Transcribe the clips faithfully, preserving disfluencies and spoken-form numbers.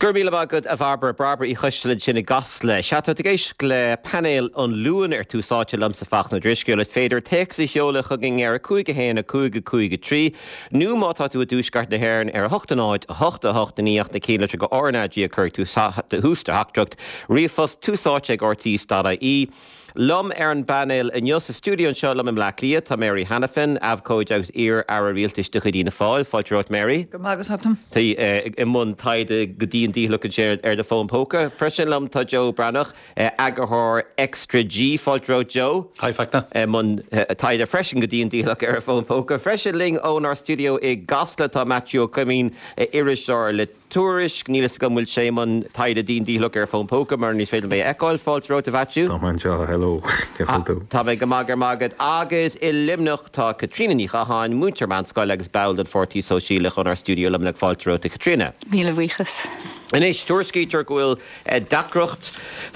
Gur míle agad a Bhairbre Bairbre Uí Choisteala sin i gCasla. Sea tá ag éisteacht le painéal an Luain ar Tús Áite liomsa Fachtna Ó Drisceoil is féidir téacs a sheoladh chugainn ar a cúig a haon a cúig a cúig a trí nó má tá tú i dtuaisceart na hÉireann ar a hocht a náid a hocht a hocht a naoi na céad go RnaG a chur tú tús do theachtaireacht ríomhphost tús áite ag RTÉ.ie. Liom ar an bpainéal inniu sa stiúideo anseo liom i mBleá Cliath tá Mary Hanafin, abhcóide agus iar-aire rialtais de chuid Fhianna Fáil, fáilte romhat Mary. Go magus atom. Tá i mbun taighde go dian dícheallach ansin ar do fón póca. Freisin liom tá Joe Breathnach, eagarthóir Extra G fáilte romhat Joe. Hi Fachtna. mbun taighde freisin go dian dícheallach ar a fón póca. Freisin linn ónár stiúideo i gCasla tá Matthew Ó Coimín iriseoir le Tuairisc níl go bhfuil sé i mbun taighde dian dícheallach ar fón póca mar ní féidir é a fheiceáil fáilte romhat a Mhaitiú. Tá anseo hello tú. Tá mé go maith magad agus i Luimneach tá Caitríona Ní Chatháin, múinteoir meánscoile agus ball den Pháirtí Sóisialach ónár stiúideo Luimneach fáilte romhat a Chaitríona. Míle buíochas. Anois tuairiscítear go bhfuil deacracht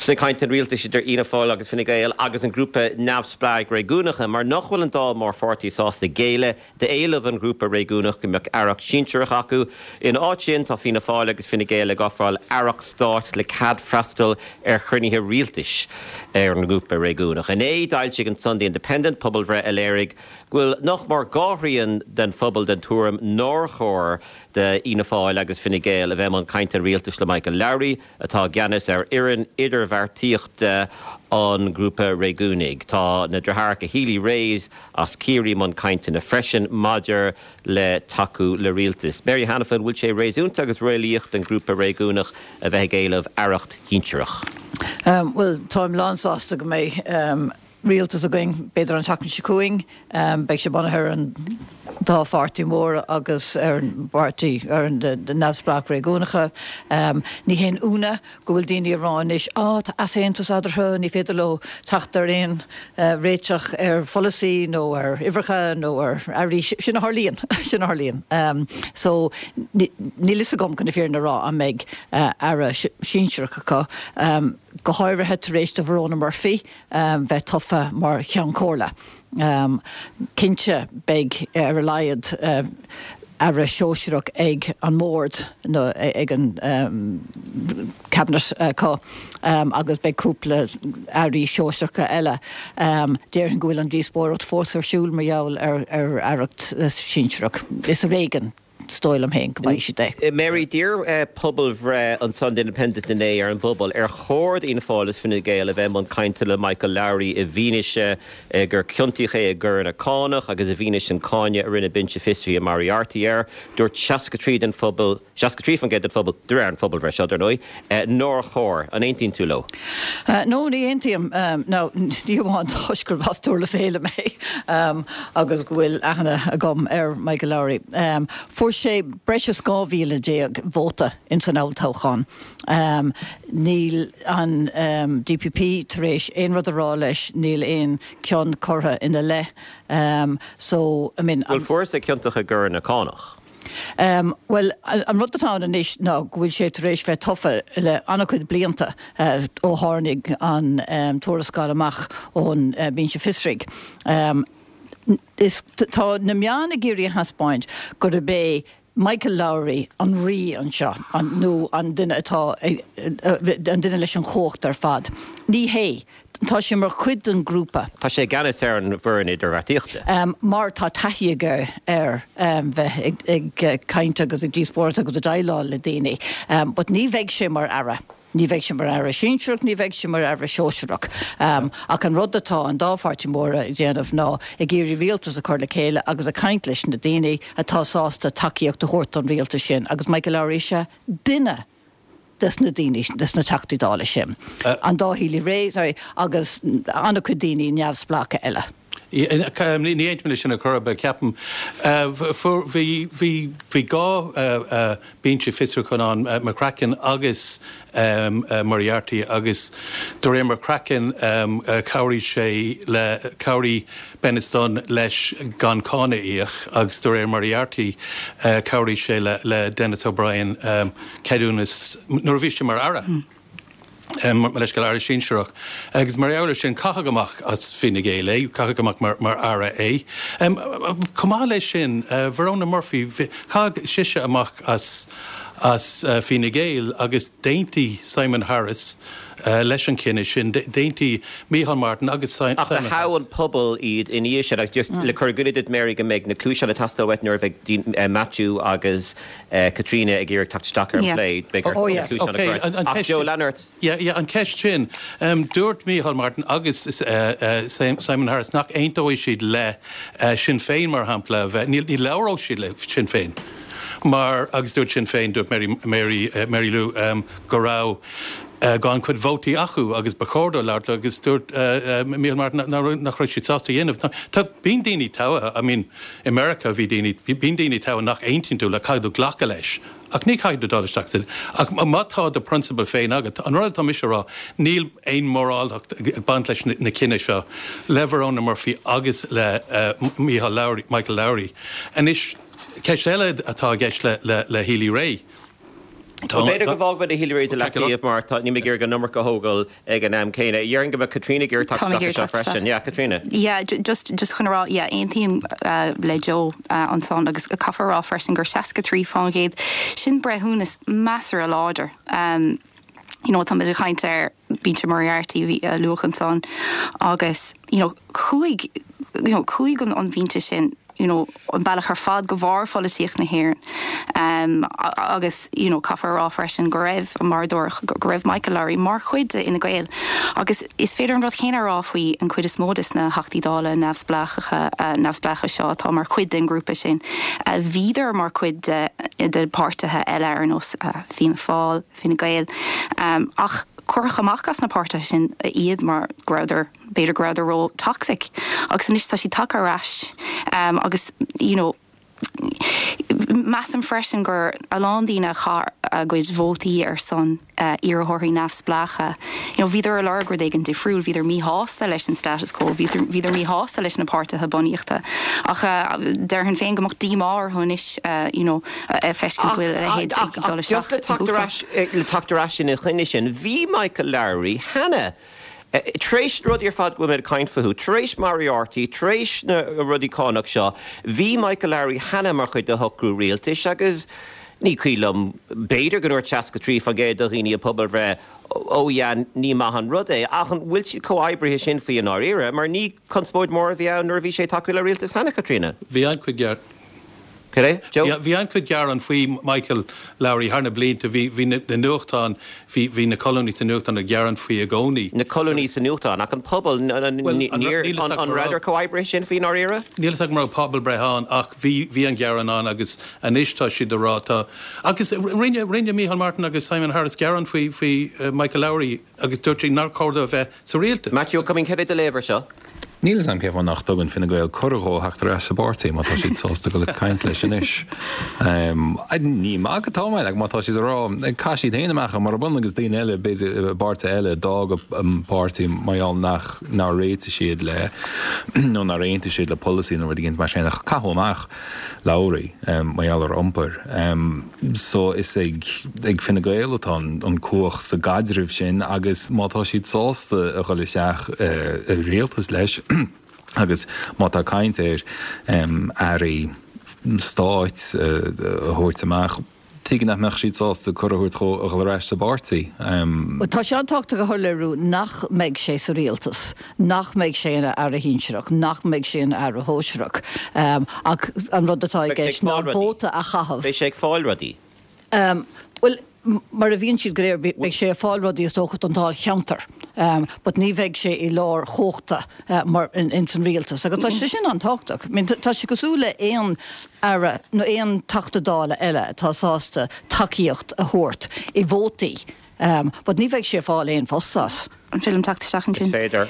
sna cainteanna rialtais idir Fhianna Fáil agus Fine Gael agus an grúpa neamhspleách réigiúnacha, mar nach bhfuil an dá mhórpháirtí sásta géilleadh d'éileamh an ghrúpa réigiúnach go mbeadh aireacht sinsearach acu. In áit sin tá Fianna Fáil agus Fine Gael ag ofráil aireacht stáit le cead freastal ar chruinnithe rialtais ar an grúpa réigiúnach. Inné d'fhoilsigh an Sunday Independent pobalbhreith a léirigh go bhfuil nach mór dhá thrian den phobal den tuairim nár chóir d'Fhianna Fáil agus Fine Gael a bheith i mbun cainte rialtais le Michael Lowry atá i gceannas ar fhoireann idirbheartaíochta an grúpa réigiúnaigh. Tá na deartháireacha Healy-Raes as Ciarraí i mbun cainteanna freisin maidir le tacú le rialtas. Mary Hanafin bhfuil sé réasúnta agus réalaíoch den grúpa réigiúnach a bheith ag éileamh aireacht shinsearach. Um, well táim lánsásta go mbeidh um, rialtas againn b'fhéidir an tseachtain seo chugainn, um, beidh sé bunaithe ar an dá pháirtí mór agus ar an bpáirtí ar an neamhspleách réigiúnacha. Um, ní haon ionadh go bhfuil daoine ag rá anois á tá easaontas eatarthu ní féidir leo teacht ar aon uh, réiteach ar pholasaí nó ar uimhreacha nó ar airí sin a tharlaíonn sin a tharlaíonn. Um, so níl a fhios agam chun na fírinne a rá an mbeidh uh, aire sinsearach acu. Um, go háirithe tar éis do Verona Murphy um, bheith tofa mar cheann comhairle. Um, cinnte beidh ar a laghad uh, aire sóisearach ag an mbord nó ag an um, cabinet acu um, agus beidh cúpla airí sóisearacha eile. Um, Déarfainn go bhfuil an díospóireacht fós ar siúl mar gheall ar ar aireacht uh, sinsearach. Is ar éigean is dóigh liom féin go mbeidh siad é. Mary d'iarr uh, pobalbhreith an Sunday Independent inné ar an bpobal ar chóir d'Fhianna Fáil is Fine Gael a bheith i mbun cainte le Michael Lowry i bhfianaise uh, gur ciontaíodh é i gcoireanna cánach agus i bhfianaise an cáineadh a rinne binse fiosraithe Moriarty air, dúirt seasca trí den phobal seasca trí faoin gcéad den phobal de réir an phobalbhreith seo dar ndóigh, uh, nár chóir an aontaíonn tú leo. Uh, no ní aontaím um, no ní amháin toisc gur as Durlas Éile mé um, agus go bhfuil aithne agam ar Michael Lowry. Um, Fuair sé breis is dhá mhíle déag vóta in san olltoghchán. Um, níl an um, DPP tar éis aon rud a rá leis níl aon cion curtha ina leith. Um, so I mean, Well fuair sé ciontach i gcoireanna cánach. Um, well an rud atá anois ná go bhfuil sé tar éis bheith tofa le an-chuid blianta uh, ó tháinig an um, tuarascáil amach ón uh, binse fiosraithe. Um, is tá na meáin ag iarraidh a thaispeáint gurb é Michael Lowry an rí anseo an nó an duine atá an duine leis an chumhacht ar fad. Ní hé, tá sé mar chuid den grúpa. Tá sé i gceannas ar an bhfoireann idirbheartaíochta. Um, mar tá taithí aige ar um, bheith ag, ag caint agus ag díospóireacht agus ag déileáil le daoine. Um, but ní bheidh sé mar aire. Ní bheidh sé mar aire sinsearach, ní bheidh sé mar aire sóisearach. Um, ach an rud atá an dá pháirtí móra ag déanamh ná ag iarraidh rialtas a chur le chéile agus ag caint leis na daoine atá sásta tacaíocht a thabhairt don rialtas sin, agus Michael Lowry is duine des na daoine des na Teachtaí Dála sin. Uh, an dá Healy-Rae sorry, agus an-chuid daoine neamhspleácha eile. Ní aontaím sin a chur be ceapaim bhí dhá binse fiosrúcháin ann McCracken agus Moriarty agus de réir McCracken chabhraigh sé le chabhraigh Beniston leis gan cáin a íoc agus de réir Moriarty chabhraigh sé le le Denis O'Brien ceadúnas nuair a bhí sé mar aire. Mm. Mo leithscéal, aire sinsearach. Agus mar gheall air sin, caitheadh amach as Fine Gael é, caitheadh amach mar mar aire é. Chomh maith leis sin, Verona Murphy, caitheadh sise amach as as Fine Gael agus d'aontaigh Simon Harris leis an chinneadh sin, d'aontaigh Micheál Martin agus Simon Harris. Ach do thogh an pobal iad ina dhiaidh sin agus just le cur i gcuimhne duit Mary go mbeidh na cluaiseáin ag teastáil uait nuair a bheidh Matthew agus Caitríona ag iarraidh teacht isteach ar an phlé, beidh ort na cluaiseáin a chur. Ach Joe, lean ort. Yeah, yeah, an ceist sin, dúirt Micheál Martin agus Simon Harris nach aontóidh siad le Sinn Féin mar shampla, a bheith, ní labhróidh siad le Sinn Féin. Mar, agus dúirt Sinn Féin, dúirt Mary, Mary, Mary Lou go raibh an-chuid vótaí acu agus ba chóir dóibh labhairt leo agus dúirt Micheál Martin nach raibh siad sásta a dhéanamh. Tá, bíonn daoine togha, I mean, i Meiriceá bhí daoine, bíonn daoine togha nach aontaíonn tú le, caithfidh tú glacadh leis. Ach ní chaithfidh tú dul isteach sa, ach má tá do prionsabail féin agat, an rud atá mise a rá, níl aon mhoráltacht ag baint leis na cinntí seo, le Verona Murphy agus le Micheál Lowry, Michael Lowry. Anois, Ceist eile atá i gceist le Healy-Rae. B'fhéidir go bhfágfaidh muid Healy-Rae de leataobh mar tá, níl mé ag iarraidh an iomarca a thógáil ag an am céanna. Déarfainn go mbeadh Caitríona ag iarraidh teacht isteach anseo freisin. Yeah, Caitríona. Yeah, just, just chun a rá, yeah, aontaím le Joe ansan agus caithfear a rá freisin gur seasca trí fán gcéad, sin breithiúnas measartha láidir. You know, tá muid ag caint ar Binse Moriarty bhí a luadh ansan agus, you know, chuaigh, you know, chuaigh an, an bhinse sin, you know, an bealach ar fad go bharr pholaitíocht na hÉireann. Um, agus, you know, caithfear a rá freisin go raibh, mar a dúradh, go raibh Michael Lowry mar chuid de Fhine Gael. Agus is féidir an rud céanna a rá faoi an chuid is mó des na Theachtaí Dála neamhspleácha, neamhspleácha seo atá mar chuid den ghrúpa sin. Bhíodar mar chuid de, de páirtithe eile ar nós Fianna Fáil, Fine Gael. Ach cuireadh amach as na páirtithe sin iad mar go rabhadar, b'fhéidir go rabhadar ró-toxic. Agus anois tá siad tagtha ar ais agus, you know, measaim freisin gur a lán daoine a chaith a gcuid vótaí ar son iarrthóirí neamhspleácha, you know, bhíodar ag lorg rud éigin difriúil, bhíodar míshásta leis an status quo, bhíodar, bhíodar míshásta leis na páirtithe bunaíochta. Ach déarfainn féin go mbeadh díomá orthu anois, you know, a feiscint go bhfuil a leithéid ag dul isteach i gcúpla. Le teacht ar ais ina choinne sin, bhí Michael Lowry cheana tar éis na rudaí ar fad go bhfuil mé ag caint fúthu, tar éis Moriarty, tar éis na rudaí cánach seo, bhí Michael Lowry cheana mar chuid de shocrú rialtais agus ní cuimhin liom, b'fhéidir go ndúirt seasca trí faoin gcéad de dhaoine i bpobalbhreith, oh yeah, ní maith an rud é, ach an bhfuil siad chomh oibrithe sin faoi i ndáiríre? Mar ní conspóid mhór a bhí ann nuair a bhí sé ag tacú le rialtas cheana, Caitríona. Bhí an-chuid Cad é? Joe? Bhí an-chuid gearán faoi Michael Lowry thar na blianta. Bhí, bhí na nuachtáin, bhí, bhí na colúnaí sa nuachtán ag gearán faoi i gcónaí. Na colúnaí sa nuachtán, ach an pobal, níor, an rabhadar chomh oibrithe sin faoi i ndáiríre? Níl a fhios agam an raibh pobalbhreith ann ach bhí, bhí an gearán ann agus anois tá siad ag rá, tá, agus rinne, rinne Micheál Martin agus Simon Harris gearán faoi, faoi Michael Lowry agus dúirt siad nár chóir dó a bheith sa rialtas. Matthew Ó Coimín, cad é do léamh air seo? Níl 'fhios a'm cén fáth nach dtugann Fine Gael cuireadh dhó theacht ar ais sa bpáirtí má tá siad sásta dul ag caint leis anois. Ní maith atá mé, like, má tá siad ag rá, chaith siad féin amach mar bun agus daoine eile, b'fhéidir i bpáirtithe eile, d'fhág an páirtí mar gheall nach, nár réitigh siad le, nó nár aontaigh siad le polasaí nó rud éigin mar sin ach caitheadh amach Lowry mar gheall ar iompar. So is ag, ag Fine Gael atá an, an cumhacht sa gcaidreamh sin agus má tá siad sásta a dhul isteach i rialtas leis agus má tá caint ar airí stáit a thabhairt amach, tuige nach mbeadh siad sásta cuireadh a thabhairt dhó a dhul ar ais sa bpáirtí? Bhuel, tá sé an-tábhachtach a shoiléiriú nach mbeidh sé sa rialtas, nach mbeidh sé ina aire shinsearach, nach mbeidh sé ina aire shóisearach. Ach an rud atá i gceist ná vóta a chaitheamh. Beidh sé ag fáil rudaí. Bhuel, mar a bhíonn siad go léir, beidh sé ag fáil rudaí is dócha don dáilcheantar, but ní bheidh sé i lár chumhachta mar ins an rialtas agus tá sé sin an-tábhachtach. I mean, tá sé cosúil le aon aire nó aon Teachta Dála eile atá sásta tacaíocht a thabhairt i vótaí, but ní bheidh sé ag fáil aon phost as. An féidir liom teacht isteach ansin? Is féidir.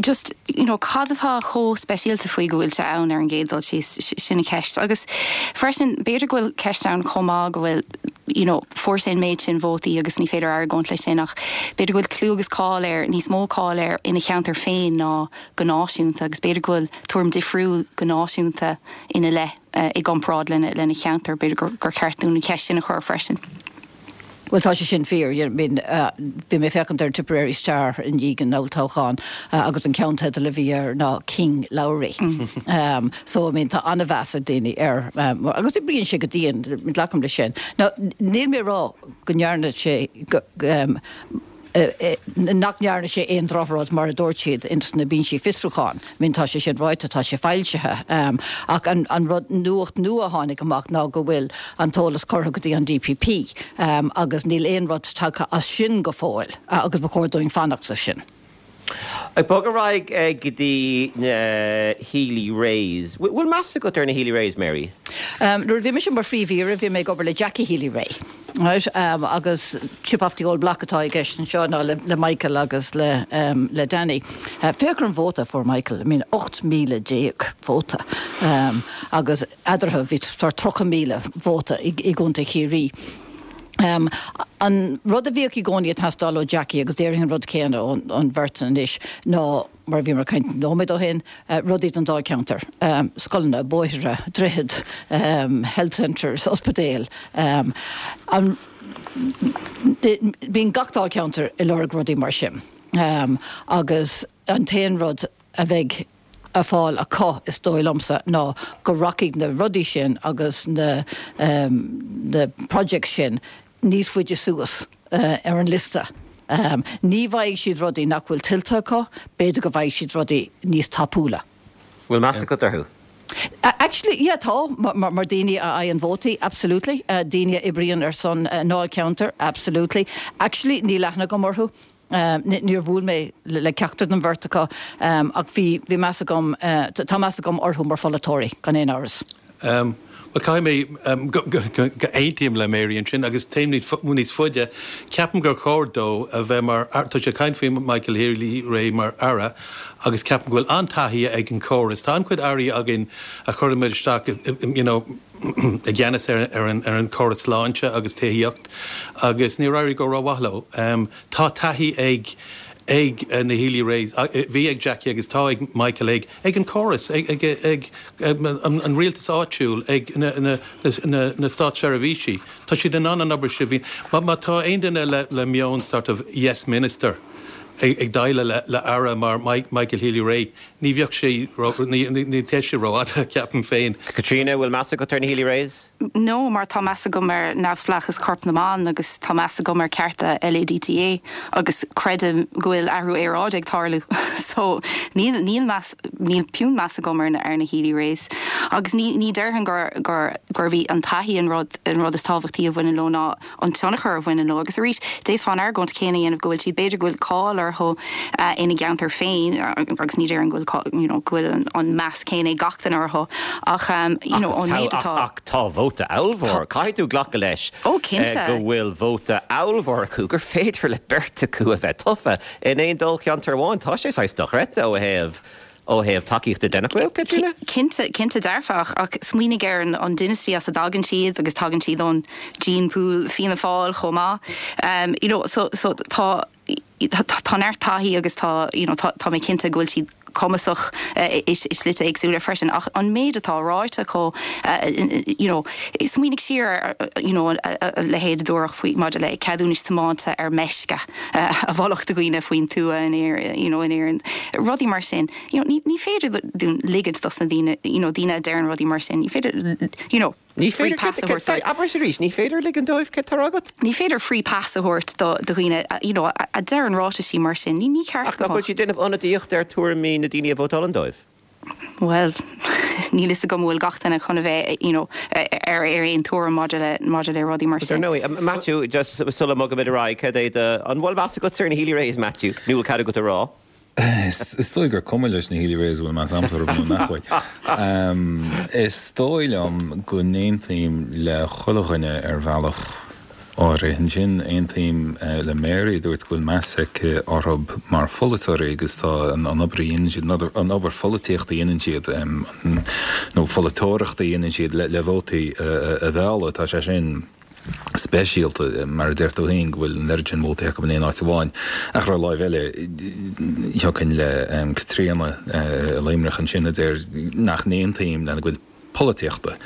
Just, you know, cad atá chomh speisialta faoi go bhfuil sé ann ar an gcéad dul síos, sin an cheist. Agus freisin, b'fhéidir go bhfuil ceist ann chomh maith go bhfuil, you know, fuair sé an méid sin vótaí agus ní féidir argóint leis sin ach b'fhéidir go bhfuil clú agus cáil air, níos mó cáil air ina cheantar féin ná go náisiúnta agus b'fhéidir go bhfuil tuairim difriúil go náisiúnta ina leith i gcomparáid lena, lena cheantar. B'fhéidir gur, gur cheart dúinn an cheist sin a chur freisin. Bhuel tá sé sin fíor, I mean bhí mé ag féachaint ar Tipperary Star i ndiaidh an olltoghcháin agus an ceannteideal a bhí air ná King Lowry. So I mean tá an-mheas ag daoine air agus oibríonn sé go dian, glacaim leis sin. Now níl mé ag rá go ndearna sé go nach ndearna sé aon drochrud mar a dúirt siad ins na binsí fiosrúcháin. I mean tá sé sin ráite, tá sé foilsithe. Ach an an rud nuacht nua a tháinig amach ná go bhfuil an t-eolas curtha go dtí an DPP agus níl aon rud tagtha as sin go fóill agus ba chóir dúinn fanacht leis sin. Ag bogadh ar aghaidh go dtí na Healy-Raes. Bhfuil meas agat ar na Healy-Raes, Mary? Nuair a bhí mise mar phríomh-aoire bhí mé ag obair le Jackie Healy-Rae. Right? Um, agus chip off the old block atá i gceist anseo ná le, le Michael agus le, um, le Danny. Uh, Féach ar an vóta fuair Michael, I mean, ocht míle déag vóta. Um, agus eadarthu bhí tríocha míle vóta i, i gContae Chiarraí. Um, an rud a bhíodh i gcónaí ag teastáil ó Jackie agus déarfainn an rud céanna ón, ón bheirt anois ná mar bhí mar caint nóiméad ó shin, uh, rudaí don dáilcheantar, um, scoileanna, bóithre, droichid, um, health centres, ospidéil. Um, an, bíonn gach dáilcheantar ag lorg rudaí mar sin. Um, agus an t-aon rud a bheidh a fáil acu is dóigh liomsa ná go rachaidh na rudaí sin agus na, um, na projects sin níos faide suas uh, ar an liosta. Um, ní bhfaighidh siad rudaí nach bhfuil tuillte acu, b'fhéidir go bhfaighidh siad rudaí níos tapúla. Bhfuil meas agat orthu? Uh, actually, yeah, tá mar, mar, mar daoine a fhaigheann vótaí, absolutely. Uh, daoine a oibríonn ar son uh, ndáilcheantar, absolutely. Actually, níl aithne agam orthu. Um, níor bhuail mé le, le ceachtar den bheirt acu um, ach bhí bhí meas agam uh, tá meas agam orthu mar pholaiteoirí gan aon amhras. Um, Well caithfidh mé um, go, go, go, go aontaím le Mary ansin agus téim níos faide ceapaim gur chóir dó a bheith mar tá sé caint faoi Michael Healy-Rae mar aire agus ceapaim go bhfuil an-taithí ag an córas. Tá an-chuid airí againn a chuirimid isteach you know, i gceannas ar, ar, an, ar an córas sláinte agus tithíocht agus níor éirigh go rómhaith leo. Um, tá taithí ag ag uh, na Healy-Raes bhí ag Jackie agus tá ag Michael ag ag an córas ag, ag, ag, ag an, an rialtas áitiúil ag na, na, na, na státseirbhísí. Tá siad in ann an obair sin bhí má má tá aon duine le, le meon sort of yes minister ag, ag déileáil le, le aire mar Mike, Michael Healy-Rae ní bheadh sé ní, ní, ní té sé rófhada ceapaim féin. Caitríona bhfuil meas agat ar na Healy-Raes? No, mar tá meas agam ar neamhspleáchas Chorp na mBan agus tá meas agam ar cearta LADTA agus creidim go bhfuil athrú aeráide ag tarlú. so níl níl meas níl puinn meas agam ar na ar na Healy-Raes. Agus ní ní déarfainn gur gur gur bhí an taithí an rud an rud is tábhachtaí a bhaineann leo ná an tionchar a bhaineann leo agus arís d'fhéadfá an argóint céanna dhéanamh go bhfuil siad b'fhéidir go bhfuil cáil orthu uh, ina gceantar féin agus ní déarfainn go bhfuil you know, go bhfuil an, an meas céanna gach duine orthu ach um, you know, an méid atá ach tá vóta ollmhór Caithfidh tú glacadh leis Ó cinnte. go bhfuil vóta ollmhór acu gur féidir le beirt acu a bheith tofa in aon dáilcheantar amháin tá sé saghas dochreidte ó thaobh ó thaobh tacaíochta de nach bhfuil Caitríona? Cinnte cinnte dearfach ach smaoinigh ar an, an dynasty as a dtagann siad agus tagann siad ón gene pool Fianna Fáil chomh maith. Um, you know, so, so tá tá neart taithí agus tá you know, tá, tá mé cinnte go bhfuil siad cumasach uh, is is slite éagsúla freisin ach an méid atá ráite acu uh, you know, smaoinigh siar you know, a leithéid dúradh faoi maidir le ceadúnais tiomána ar meisce uh, a mholadh do dhaoine faoin tuath in you know, in Éirinn rudaí mar sin you know, ní, ní féidir dúinn ligint dos na daoine you know, daoine a deireann rudaí mar sin ní féidir you know, Ní féidir abair arís, ní féidir ligean dóibh cad atá agat? Ní féidir free pass a thabhairt do do dhaoine you know, a, a deireann ráitisí mar sin ní ní ceart Ach nach bhfuil siad déanamh ionadaíocht ar tuairimí na daoine a vótálann dóibh. Well, níl fhios agam bhfuil gach duine chun a bheith you know, ar ar aon tuairim maidir le maidir le rudaí mar sin. No, Matthew just sula mbogaimid ar aghaidh cad é an bhfuil meas agat ar na Healy-Raes Matthew, nó bhfuil cead agat a rá? Is dóigh gur cuma leis na Healy-Raes bhfuil meas agamsa orthu nach bhfuil. Is dóigh liom go n-aontaím le chuile dhuine ar bhealach áirithe. Ansin aontaím le Mary dúirt go bhfuil meas aici orthu mar pholaiteoirí agus tá an obair a dhéanann siad an obair pholaitíochta a dhéanann siad nó pholaiteoireachta a dhéanann siad le le vótaí a mhealladh tá sé sin speisialta mar a deir tú féin go bhfuil an oiread sin vótaí acu in aon áit amháin ach ar an láimh eile thiocfainn le Caitríona Luimneach ansin a deir nach n-aontaím lena gcuid polaitíochta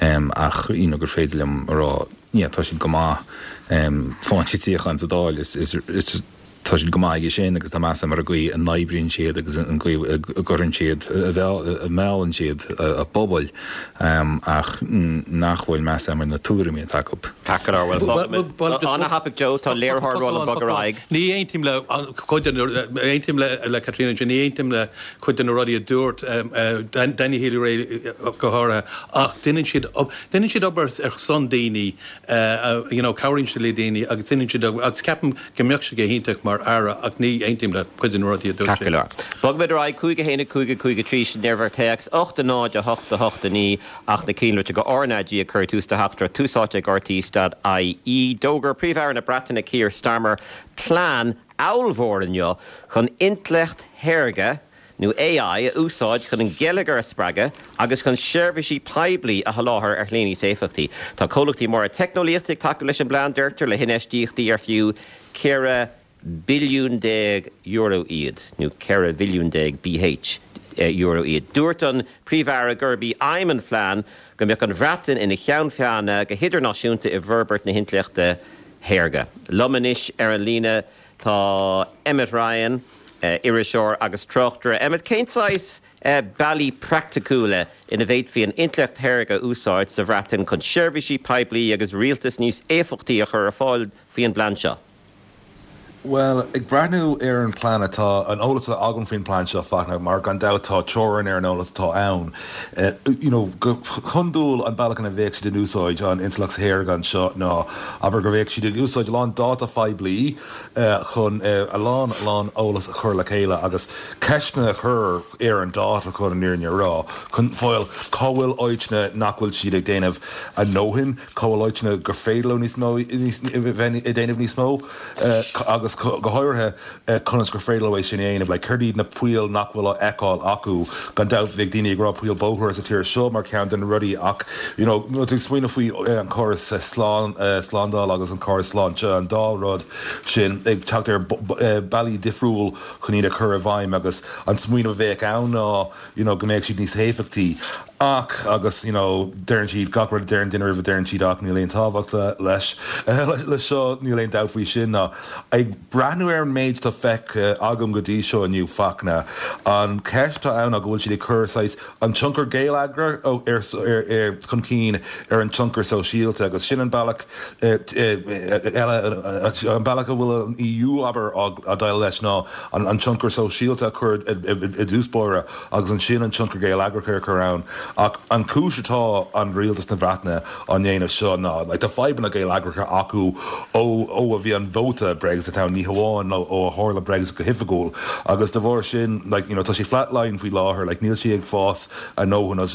ach you know, gur féidir liom a rá yeah, tá siad go maith um, faigheann siad suíochán sa Dáil is, is, is tá siad go maith aige sin agus tá meas agam ar an gcaoi a n-oibríonn siad agus an gcaoi a gcuireann siad a meallann siad a bpobail um, ach nach bhfuil meas agam ar na tuairimí atá acu. Ceart go leor an-thapaidh Joe tá léiritheoir ag bogadh ar aghaidh. Ní aontaím le cuid aontaím le le Caitríona ní aontaím le cuid de na rudaí a dúirt Danny Healy-Rae go háirithe ach déanann siad déanann siad obair ar son daoine you know cabhraíonn siad le daoine agus déanann siad agus ceapaim go mbeadh sé go hiontach mar aire ach ní aontaím le cuid de na rudaí a dúirt Ceart go leor. Bogfaimid ar aghaidh cúig a haon cúig cúig trí sin uimhir téacs ocht a náid a hocht a hocht a naoi ach na cinnlite go R NAG ag cur tús do theachtaireacht Tús Áite ag R T dot I E. D'fhógair Príomh-Aire na Breataine Keir Starmer plean ollmhór inniu chun intleacht shaorga nó A I a úsáid chun an geilleagar a spreagadh agus chun seirbhísí poiblí a sholáthar ar shlí níos éifeachtaí. Tá comhlachtaí móra teicneolaíochta ag tacú leis an bplean deirtear le hinfheistíochtaí ar fiú ceithre billiún déag euro iad nó ceithre bhilliún déag B H euro iad. Dúirt an Príomh-Aire gurb í aidhm an phlean go mbeadh an Bhreatain ina cheann feadhna go hidirnáisiúnta i bhforbairt na hintleachta shaorga. Liom anois ar an líne tá Emmet Ryan, iriseoir agus tráchtaire. Emmet cén saghas bealaí praiticiúla ina bhféadfaí an intleacht shaorga a úsáid sa Bhreatain chun seirbhísí poiblí agus rialtas níos éifeachtaí a chur ar fáil faoin bplean seo. Well, ag breathnú ar an plean atá an eolas agam faoin plean seo Fachtna mar gan dabht tá teorainn ar an eolas atá ann. Uh, you know, go hiondúil an bealach ina bheadh siad in úsáid an intleacht shaorga anseo ná abair go bheadh siad ag úsáid a lán dáta phoiblí uh, chun uh, a lán lán eolas a chur le chéile agus ceisteanna a chur ar an dáta chun an fhírinne a rá chun fáil cá bhfuil áiteanna nach bhfuil siad ag déanamh a ndóthain, cá bhfuil áiteanna gur féidir leo níos mó ag déanamh níos mó uh, agus go háirithe conas gur féidir leo é sin a dhéanamh le cad iad na poill nach bhfuil á fheiceáil acu gan dabht bheadh daoine ag rá poill bóthair sa tír seo mar ceann de na rudaí ach you know, tú smaoineamh faoi an córas slán slándáil agus an córas sláinte an dá rud sin ag teacht ar bealaí difriúil chun iad a chur i bhfeidhm agus an smaoineamh a bheadh ann ná you know, go mbeadh siad níos éifeachtaí ach agus you know, deireann siad gach rud deireann duine roimh deireann siad ach níl aon tábhacht leis le seo níl aon dabht faoi sin ná ag breathnú ar an méid atá feicthe agam go dtí seo inniu Fachtna an ceist ann go bhfuil siad ag cur saghas an tionchar geilleagrach ar ar chun cinn ar an tionchar sóisialta agus sin an bealach eile an bealach a bhfuil an E U abair á déileáil leis ná an tionchar sóisialta chur i dtús báire agus ansin an tionchar geilleagrach ar chur ann ach an chúis atá an rialtas na Breataine á ndéanamh seo ná like, tá fadhbanna geilleagracha acu ó ó a bhí an vóta Brexit ann ní hamháin ó a tharla Brexit go hoifigiúil agus de bharr sin like, you know, tá sé flatline faoi láthair like, níl sé ag fás a ndóthain agus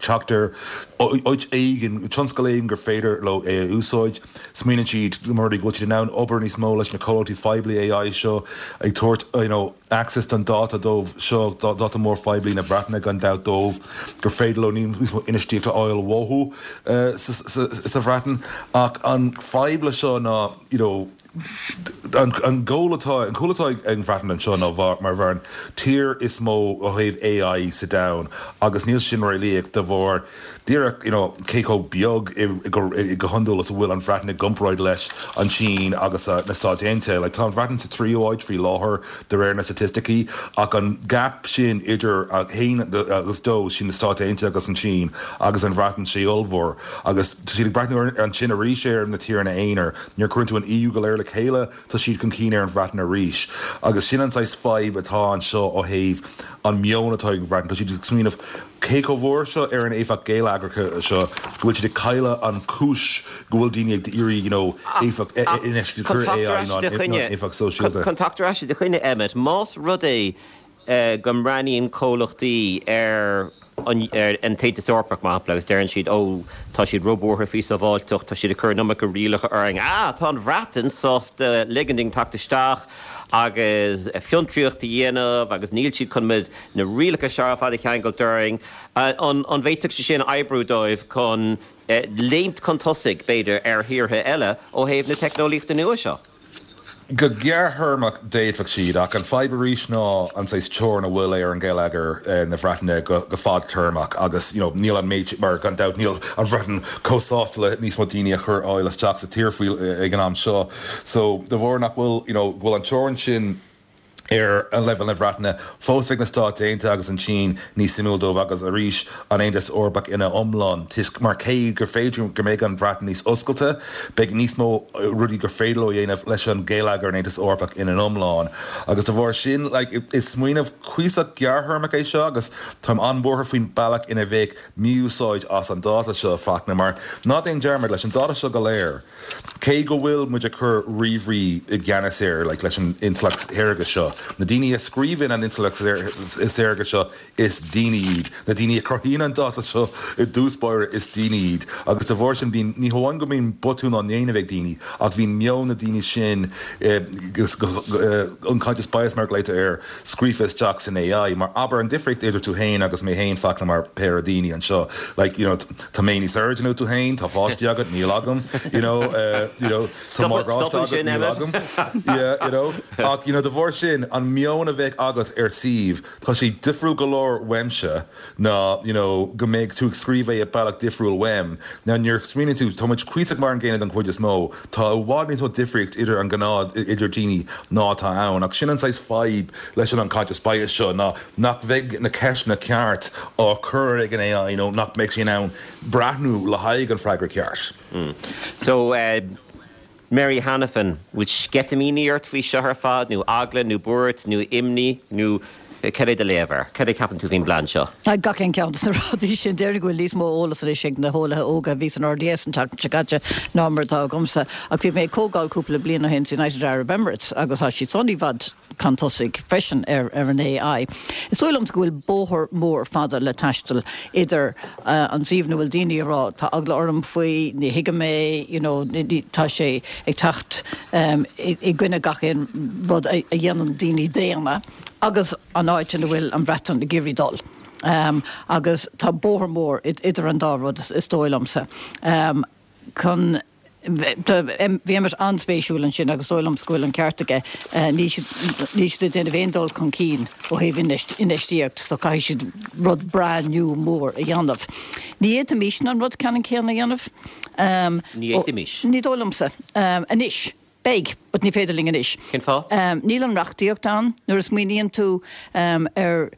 teacht ar áit éigin tionscal éigin gur féidir leo é a úsáid smaoiníonn siad mar go bhfuil siad in ann obair níos mó leis na comhlachtaí poiblí A I seo ag tabhairt you know, access don dáta dóibh seo dáta mór phoiblí na Breataine gan dabht dóibh gur féidir leo níos mó infheistíocht a fháil uathu uh, sa Bhreatain ach an fadhb le seo ná you know, an, an gól atá an cúl atá ag an Bhreatain anseo ná mar bhar an tír is mó ó thaobh A I sa domhan agus níl sin réalaíoch de bharr díreach you know, cé chomh beag go hiondúil is a bhfuil an Bhreatain i gcomparáid leis an Sín agus uh, na Stáit Aontaithe, like, tá an Bhreatain sa tríú háit faoi láthair de réir na staitisticí ach an gap sin idir haon agus dó sin na Stáit Aontaithe agus an Sín agus an Bhreatain sé ollmhór agus siad ag breathnú ansin arís ar na tíortha aonair nuair a chuireann tú an E U go léir le chéile tá siad chun cinn ar an Bhreatain arís agus sin an saghas fadhb atá anseo ó thaobh an meon atá ag Bhreatain tá siad ag smaoineamh cé chomh mór seo ar an éifeacht geilleagrach seo go bhfuil siad ag cailleadh an chúis go bhfuil daoine ag iarraidh you know, éifeacht éifeacht sóisialta. Chun teacht ar ais i do choinne Emmet, más rud é go mbreathnaíonn comhlachtaí ar an an tAontas Eorpach mar shampla agus deireann siad ó tá siad róbhuartha faoi sábháilteacht tá siad ag cur an iomarca rialacha orainn. Ah, tá an Bhreatain sásta ligean dúinn teacht isteach agus fiontraíocht a dhéanamh agus níl siad chun na rialacha seo ar fad a cheangal orainn an an bhféadfadh sé sin oibriú dóibh chun léimt chun tosaigh b'fhéidir ar thíortha eile ó thaobh na teicneolaíochta nua seo. Go gearrthéarmach d'fhéadfadh siad, ach an fadhb arís ná an saghas teorainn a bhfuil ar an geilleagar na Breataine go fadtéarmach agus you know níl an méid mar gan dabht níl an Bhreatain chomh sásta le níos mó daoine a chur fháil isteach sa tír faoi ag an am seo. So de bharr nach bhfuil you know go bhfuil an teorainn sin ar an leibhéal na Breataine fós ag na Stáit Aontaithe agus an tSín níos suimiúil dóibh agus arís an Aontas Eorpach ina iomlán toisc mar cé gur féidir go mbeidh an Bhreatain níos oscailte beidh níos mó rudaí gur féidir leo a dhéanamh leis an geilleagar an Aontas Eorpach ina iomlán agus de bharr sin like, is smaoineamh cuíosach gearrthéarmach é seo agus táim an-bhuartha faoin bealach ina bheidh mí-úsáid as an dáta seo Fachtna mar ná déan dearmad leis an dáta seo go léir cé go bhfuil muid ag cur ríomhairí i gceannas air like, leis an intleacht shaorga seo. Na daoine a scríobhann an intleacht saorga seo is daoine iad. Na daoine a chruthaíonn an dáta seo i dtús báire is daoine iad. Agus de bharr sin bíonn ní hamháin go mbíonn botún á ndéanamh ag daoine, ach bíonn meon na daoine sin eh, unconscious bias mar a ghlaotar air scríofa isteach san AI. Mar abair an difríocht idir tú féin agus mé féin Fachtna mar péire daoine anseo. Like, you know, tá mé níos airde ná tú féin, tá páistí agat, níl agam, you know, uh, you know, tá morgáiste agat, níl agam. Yeah, you know. Ach, you know, de bharr sin an meon a bheidh agat ar suíomh, tá sé difriúil go leor uaimse ná you know, go mbeidh tú ag scríobh é i bealach difriúil uaim. Now nuair smaoiníonn tú tá muid cuíosach mar an gcéanna den chuid is mó, tá i bhfad níos mó difríocht idir an gnáth idir daoine ná atá ann, ach sin an saghas fadhb leis an unconscious bias seo ná nach bheidh na ceisteanna ceart á chur ag an AI nó nach mbeidh sé in ann breathnú le haghaidh an freagra ceart. Mm. So uh, Mary Hanafin, bhfuil sceitimíní ort faoi seo ar fad nó eagla nó buairt nó imní nó cad é do léamh air, cad é ceapann tú faoin bplean seo? Gach aon cheann de na rudaí sin déarfainn go bhfuil níos mó eolas anois ag na heolaithe óga a bhí san RDS an tseachtain seo caite ná mar atá agamsa. Ach bhí mé ag comhdháil cúpla bliain ó shin sa United Arab Emirates agus tá siad san i bhfad chun tosaigh freisin ar ar an AI. Is dóigh liomsa go bhfuil bóthar mór fada le taisteal idir uh, an suíomh ina bhfuil daoine ag rá tá eagla orm faoi ní thuigim é you know, tá sé ag teacht um, i, i gcoinne gach aon rud a, a dhéanann daoine daonna agus an áit ina bhfuil an Bhreatain ag iarraidh dul. Um, agus tá bóthar mór idir an dá rud is, is dóigh liomsa. Um, chun bhí Emmet an-spéisiúil ansin agus dóigh liom go bhfuil an ceart aige níl siad ag déanamh aon dul chun cinn ó thaobh infheistíocht so caithfidh siad rud breá nua mór a dhéanamh. Ní fhéadfaimis an rud ceannann céanna a dhéanamh. Um, Ní fhéadfaimis. Ní dóigh liomsa. Um, anois. Beidh, but ní féidir linn anois. Cén fáth? Um, níl an reachtaíocht ann nuair a smaoiníonn tú um, ar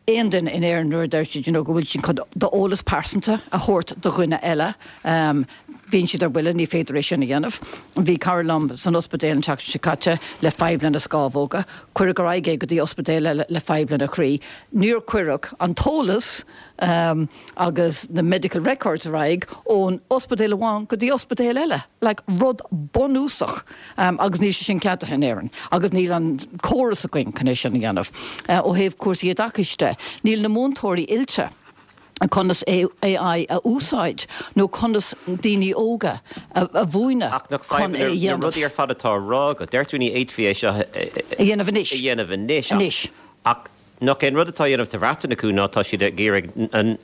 aon duine in Éirinn nuair a deir siad you know, go bhfuil siad chun d'eolas pearsanta a thabhairt do dhuine eile. Um, bíonn siad ar buile ní féidir é sin a dhéanamh. Bhí cara liom san ospidéal an tseachtain seo caite le fadhb lena scamhóga, cuireadh ar aghaidh é go dtí ospidéal eile le fadhb lena chroí. Níor cuireadh an t-eolas um, agus na medical records ar aghaidh ón ospidéal amháin go dtí ospidéal eile, like rud bunúsach um, agus níl sé sin ceadaithe in Éirinn, agus níl an córas againn chun é sin a dhéanamh. Uh, ó thaobh cúrsaí oideachais de, níl na múinteoirí oilte conas AI a úsáid nó conas daoine óga a, a mhúineadh Ach nach chun é a na dhéanamh. rudaí ar fad atá á rá agat, deir tú ní fhéadfaí é seo A dhéanamh anois. a dhéanamh anois. Anois. Ach nach é an rud atá á dhéanamh sa Bhreatain acu ná tá siad ag iarraidh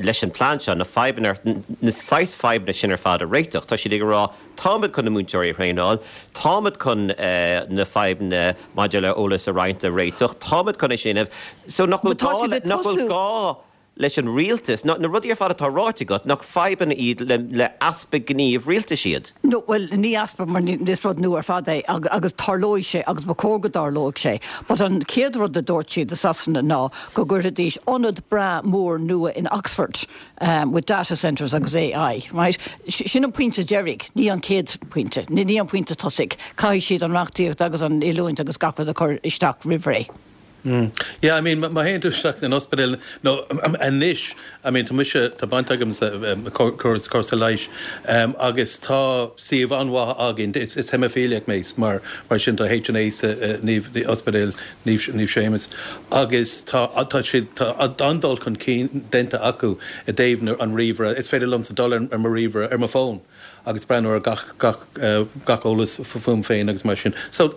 leis an plean seo na fadhbanna na saghas fadhbanna sin ar fad a réiteach. Tá siad ag rá táimid chun na múinteoirí a thraenáil, táimid chun uh, na fadhbanna maidir le eolas a roinnt a réiteach, táimid chun é sin so nach bhfuil But tá gá siad le- ag nach bhfuil tosú- gá leis an rialtas, na, na rudaí ar fad atá ráite agat nach fadhbanna iad le, le easpa gníomh rialtais iad. No, well ní easpa mar ní- is rud nua ar fad é ag- agus tarlóidh sé agus ba chóir go dtarlódh sé. But an chéad rud a dúirt siad i Sasana ná go gcuirfidís ionad breá mór nua in Oxford um, with data centres agus AI, right? Sin an pointe deiridh, ní an chéad pointe, ní ní an pointe tosaigh, Caithfidh siad an reachtaíocht agus an oiliúint agus gach rud a chur isteach roimh ré. Mm. Yeah, I mean, má théann tú isteach in ospidéal no anois, I mean, tá mise tá baint agam sa córas cúrsaí leighis um, agus tá suíomh an-mhaith againn is is haemaifíliach mé mar mar sin tá HNA sa uh, Naomh the ospidéal Naomh Naomh Séamus agus tá tá siad tá an-dul chun cinn déanta acu i dtaobh an ríomhaire is féidir liom sa dul ar mo ríomhaire ar mo fón. agus breathnú ar gach gach gach eolas fúm féin agus mar sin. So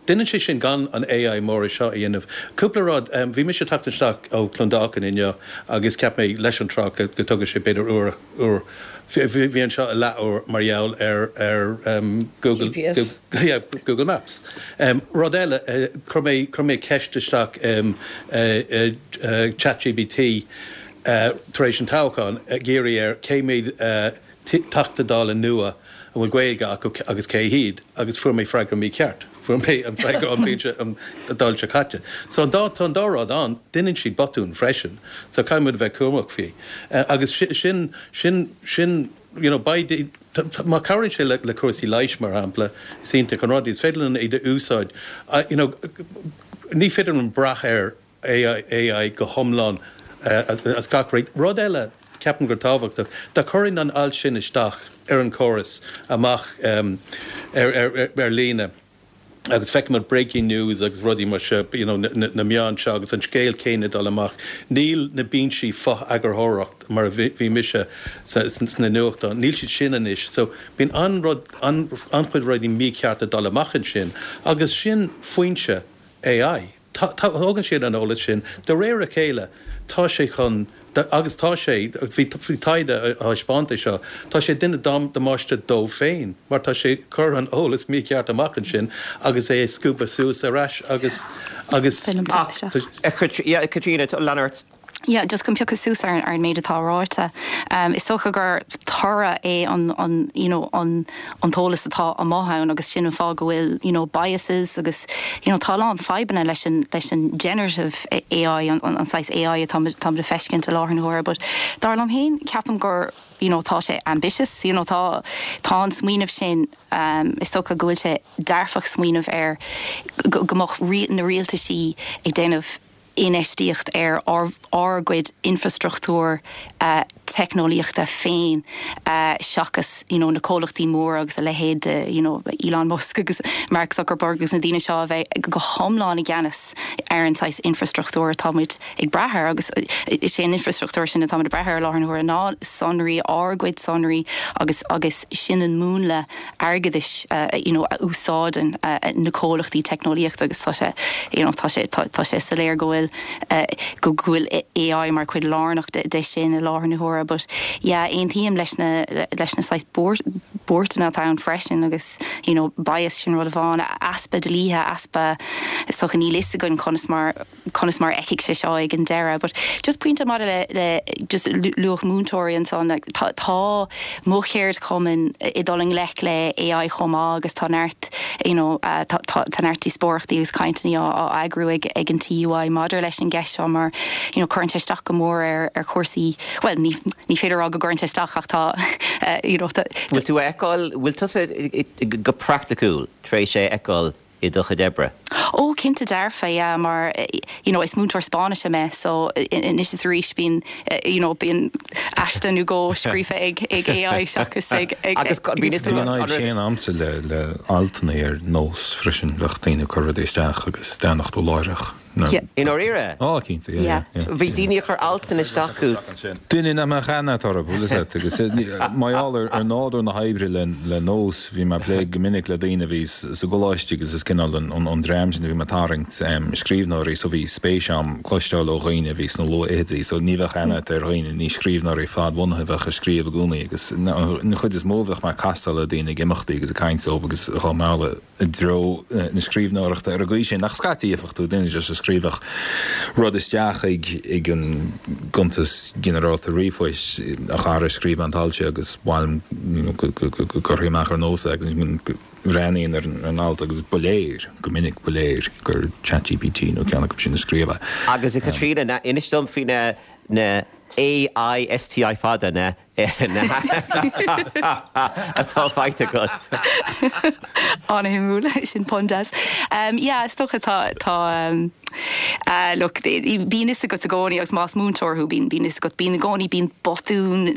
déanann sé sin gan an AI mór seo a dhéanamh. Cúpla rud bhí mise ag teacht isteach ó Clondalkin inniu agus cheap mé leis an trácht go dtógfadh sé b'fhéidir uair uair bhí anseo i leathuair mar gheall ar ar um, Google GPS. Google, yeah, Google Maps. Um, rud eile uh, chuir mé chuir mé ceist isteach um, uh, uh, uh, ChatGPT uh, tar éis an toghchán ag iarraidh air cé mhéad uh, Teachta Dála nua a bhfuil Gaeilge acu agus cé hiad agus fuair mé freagra mícheart. Fuair mé an freagra an bhliain an Dáil seo caite. So an dá tá an dá rud ann déanann siad botún freisin, so caithfidh muid bheith cúramach faoi. Uh, agus sin sin sin you know, by the, má chabhraíonn sé le, le cúrsaí leighis mar shampla sínte chun rudaí, is féidir linn iad a úsáid. Uh, you know, ní féidir an brath ar AI, AI go hiomlán uh, as, as gach rud. Rud eile ceapaim gur tábhachtach, dá gcuirfinn an alt sin isteach ar an córas amach um, ar, ar, ar, ar líne. agus feicimid breaking news agus rudaí mar seo you know, na, na meáin seo agus an scéal céanna dul amach. Níl na binsí fo-eagarthóireacht mar a bhí mise sna nuachtáin, níl siad sin anois, so bíonn an-rud an-chuid rudaí míchearta dul amach ansin, agus sin foinse AI. Tógann siad an eolas sin, de réir a chéile tá sé chun agus tá sé bhí taighde a thaispeáint seo, Tá sé ag déanamh damáiste dó féin, mar tá sé ag cur an eolas mícheart amach ansin agus é scuabtha suas ar ais agus agus Caitríona Leonard. Yeah, just chun piocadh suas ar ar an méid atá ráite. Um, is dócha gur toradh é an, an, you know, an, an t-eolas atá amach ann agus sin an fáth go bhfuil you know, biases agus you know, tá an fadhbanna leis an, leis an generative AI an, an, an saghas AI atá tá le feiscint i láthair na huaire, but dar liom féin ceapaim gur you know, tá sé ambitious, you know, tá tá an smaoineamh sin um, is dócha go bhfuil sé dearfach smaoineamh ar go, go mbeadh na rialtaisí ag déanamh infheistíocht ar ár, ár gcuid infrastruchtúr uh, teicneolaíochta féin uh, seachas you know, na comhlachtaí mór agus a leithéid de you know, Elon Musk agus Mark Zuckerberg agus na daoine seo a bheith go hiomlán i gceannas ar an saghas infrastruchtúr atáimid ag brath air agus is é an infrastruchtúr sin atáimid ag brath air láthair na huaire ná sonraí ár gcuid sonraí agus agus sin an múnla airgeadais uh, you know, a úsáideann uh, na comhlachtaí teicneolaíochta agus tá sé you know, tá sé tá, tá sé soiléir go bhfuil uh, go bhfuil AI mar chuid lárnach de, de sin i láthair na huaire, but yeah, aontaím leis na leis na saghas buarthanna atá ann freisin agus you know, bias sin rud amháin easpa dlíthe easpa so níl a fhios againn conas mar conas mar a bheidh sé seo ag an deireadh, but just pointe mar le, le just luach múinteoirí ansan like, tá, tá mo cheardchumann ag dul i ngleic le AI chomh maith agus tá neart you know, uh, tá, tá, tá neart díospóireachtaí agus cainteanna á eagrú ag, ag an TUI maidir leis an gceist seo mar you know, cuireann sé isteach go mór ar, ar chúrsaí well ní, ní féidir rá go gcuireann sé isteach ach tá uh, you know, tá, Bhfuil tú a fheiceáil bhfuil tusa go praiticiúil tar éis é a fheiceáil i do chuid oibre? Ó cinnte dearfa yeah, mar you know, is múinteoir Spáinnise mé so anois is arís bíonn you know, bíonn aiste nó dhó scríofa ag ag AI seachas ag ag Agus bíonn Bhí an fhadhb sin agamsa le le altanna ar nós freisin bheadh daoine ag cur rudaí isteach agus déanach tú láithreach. Yeah. I ndáiríre? Á cinnte Yeah. Bhí daoine a chur altanna isteach chugat. Duine nach mbeadh aithne orthu agus mar gheall ar ar nádúr na hoibre le le nós bhí mé ag plé go minic le daoine bhí sa gcoláiste agus is cineál an an dream sin bhí mé ag tarraingt scríbhneoirí so bhí spéis agam cloisteáil ó dhaoine bhí sna luathfhichidí so ní bheadh aithne ar dhaoine ní scríbhneoirí fadbhunaithe bheadh ag scríobh i gcónaí agus an chuid is mó bheadh mé ag castáil le daoine ag imeachtaí agus ag caint leo agus dhá mealladh i dtreo na scríbhneoireachta ar an gcaoi sin nach scaití éifeachtú duine just a scríobhadh rud isteach ag ag an gcuntas ginearálta ríomhphoist a chara scríobh an t-alt agus bhain go gcuirfí amach ar nós agus breathnaím ar an alt agus ba léir go minic ba léir gur ChatGPT nó ceann acu sin a scríobh. Agus a Chaitríona na inis dom faoi na na AISTI fada na atá faighte agat. An-shuimiúil sin pun deas. Um, yeah, is dócha tá tá um, uh, look, bíonn a fhios agat i gcónaí agus más múinteoir thú bíonn bíonn a fhios agat bíonn i gcónaí bíonn botún